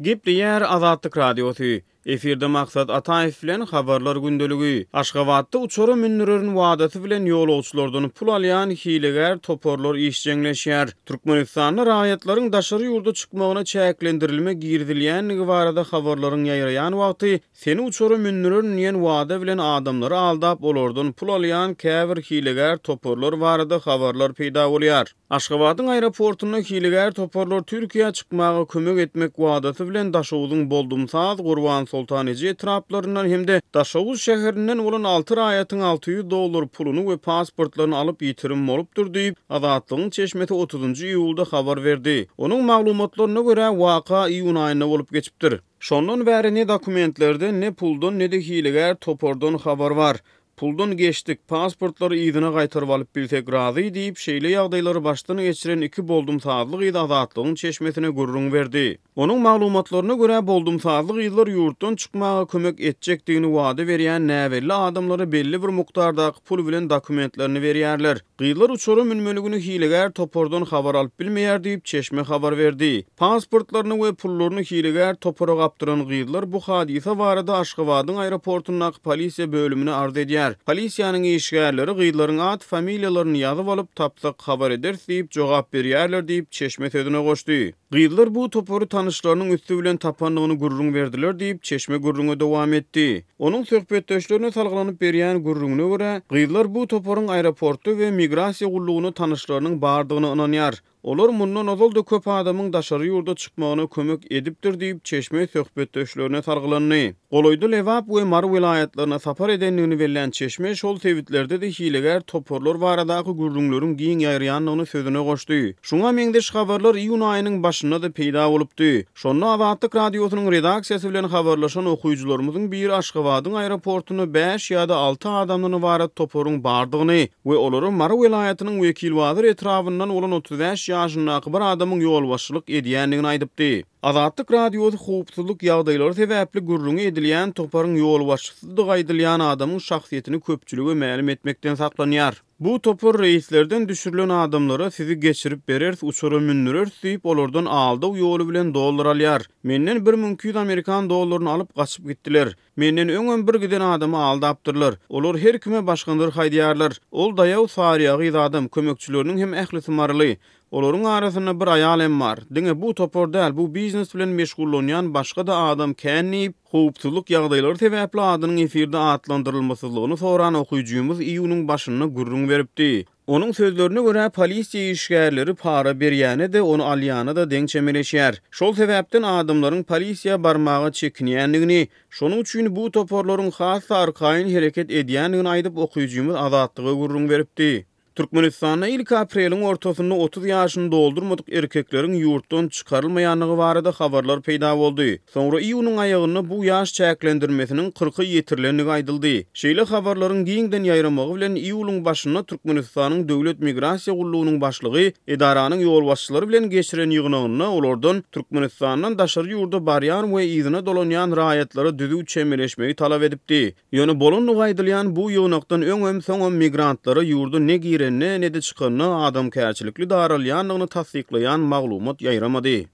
Gepleýär Azatlyk Radiosy. Efirde Maksat Ataýew bilen Habarlar gündeligi. Aşgabatda uçara mündürerin wadasy bilen ýolagçylardan pul alýan hilegär toparlar işjeňleşýär. Türkmenistanda raýatlaryň daşary ýurda çykmagyna çäklendirilme girizilýändigi barada habarlaryň ýaýraýan wagty, seni uçara mündürerin diýen wada bilen adamlary aldap, olardan pul alýan käbir hilegär toparlar barada habarlar peýda bolýar. Aşgabadyň aeroportunda hilegär toparlar Türkiýä çykmaga kömek etmek wadasy bilen Daşoguzyň Boldumsaz, Gurbansoltan eje etraplaryndan hem-de Daşoguz şäherinden bolan alty raýatyň 600 dollar puluny we pasportlaryny alyp ýitirim bolupdyr diýip, Azatlygyň çeşmesi otuzynjy iýulda habar berdi. Onuň maglumatlaryna görä, waka iýun aýynda bolup geçipdir. Şondan bäri ne dokumentlerden, ne puldan, ne-de hilegär topardan habar bar. Puldan geçdik, pasportlary yzyna gaýtaryp alyp bilsek razy diýip, şeýle ýagdaýlary başdan geçiren iki boldumsazly gyz Azatlygyň çeşmesine gürrüň berdi. Onuň maglumatlaryna görä, boldumsazly gyzlar ýurtdan çykmaga kömek etjekdigini wada berýän näbelli adamlara belli bir mukdardaky pul bilen dokumentlerini berýärler. Gyzlar uçara münmeli güni hilegär topardan habar alyp bilmeýär diýip, çeşme habar berdi. Pasportlaryny we pullaryny hilegär topara gapdyran gyzlar bu hadysa barada Aşgabadyň aeroportundaky polisiýa bölümine arz edýär. Polisiýanyň işgärleri gyzlaryň at-familiýalaryny ýazyp alyp, tapsak habar ederis diýip jogap berýärler diýip, çeşme sözüne goşdy. Gyzlar bu topary tanyşlarynyň üsti bilen tapandygyny gürrüň berdiler diýip, çeşme gürrüňe dowam etdi. Onuň söhbetdeşlerine salgylanyp berýän gürrüňine görä, gyzlar bu toparyň aeroportda we migrasiýa gullugynda tanyşlarynyň bardygyna ynanýar. Olar mundan ozal-da köp adamyň daşary ýurda çykmagyna kömek edipdir diýip, çeşme söhbetdeşlerine salgylandy. Golaýda Lebap we Mary welaýatlaryna sapar edendigini bellän çeşme şol sebitlerde-de hilegär toparlar baradaky gürrüňleriň giň ýaýraýandygyny sözüne goşdy. Şuňa meňzeş habarlar iýun aýynyň başynda-da peýda bolupdy. Şonda Azatlyk Radiosynyň redaksiýasy bilen habarlaşan okyjylarymyzyň biri Aşgabadyň aeroportunda bäş ýa-da alty adamdan ybarat toparyň bardygyny we olara Mary welaýatynyň Wekilbazar etrabyndan bolan 35 ýaşyndaky bir adamyň ýolbaşçylyk edýändigini aýdypdy. Azatlyk Radiosy howpsuzlyk ýagdaýlary sebäpli gürrüňi edilýän toparyň ýolbaşçysydygy aýdylýan adamyň şahsyýetini köpçülige mälim etmekden saklanýar. Bu topar reýslerden düşürilen adamlara sizi geçirip bereris, uçara mündüreris diýip, olardan aldaw ýoly bilen dollar alýar. Menden 1200 amerikan dollaryny alyp, gaçyp gitdiler. Menden öňem bir giden adamy aldapdyrlar. Olar her kime başga nyrh aýdýarlar. Ol daýaw saryýagyz adam, kömekçileriniň hem ählisi maryly. Olaryň arasynda bir aýal hem bar. Diňe bu topar däl, bu biznes bilen meşgullanýan başga-da adam kän diýip, howpsuzlyk ýagdaýlary sebäpli adynyň efirde atlandyrylmasyzlygyny soran okyjymyz iýunyň başynda gürrüň beripdi. Onuň sözlerine görä, polisiýa işgärleri para berýäne-de, ony alýana-da deň çemeleşýär. Şol sebäpden adamlaryň polisiýa barmaga çekinýändigini, şonuň üçin bu toparlaryň has-da arkaýyn hereket edýändigini aýdyp, okyjymyz Azatlyga gürrüň beripdi. Türkmenistanda ilki apreliň ortasynda 30 ýaşyny doldurmadyk erkekleriň ýurtdan çykarylmaýandygy barada habarlar peýda boldy. Soňra iýunyň aýagynda bu ýaş çäklendirmesiniň kyrka ýetirilendigi aýdyldy. Şeýle habarlaryň giňden ýaýramagy bilen iýulyň başynda Türkmenistanyň Döwlet migrasiýa gullugynyň başlygy edaranyň ýolbaşçylary bilen geçiren ýygnagynda olardan Türkmenistandan daşary ýurda barýan we yzyna dolanýan raýatlara düzüw çemeleşmegi talap edipdi. Ýöne bolandygy aýdylýan bu ýygnakdan öňem, soňam migrantlara ýurda ne girende, ne-de çykanda adamkärçilikli daralýandygyny tassyklaýan maglumat ýaýramady.